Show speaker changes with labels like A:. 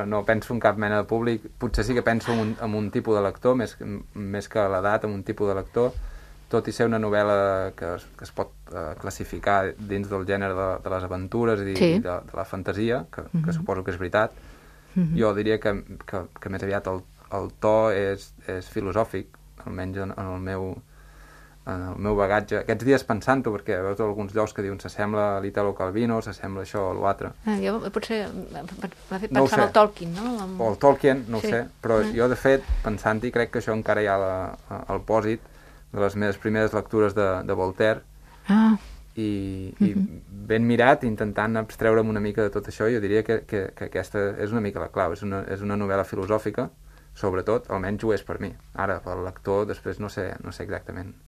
A: No penso en cap mena de públic, potser sí que penso en un tipus de lector, més que l'edat, en un tipus de lector, tot i ser una novel·la que es pot classificar dins del gènere de les aventures i de la fantasia, que suposo que és veritat. Jo diria que més aviat el to és filosòfic, almenys en el meu bagatge. Aquests dies pensant-ho, perquè veus alguns llocs que diuen s'assembla a l'Italo Calvino, s'assembla això o l'altre.
B: Jo potser m'ha fet pensar en el Tolkien, no?
A: O el Tolkien, no ho sé, però jo de fet, pensant-hi, crec que això encara hi ha al pòsit de les meves primeres lectures de Voltaire, i ben mirat, intentant abstreure'm una mica de tot això, jo diria que aquesta és una mica la clau, és una novel·la filosòfica, sobretot, almenys ho és per mi. Ara, pel lector, després no sé exactament.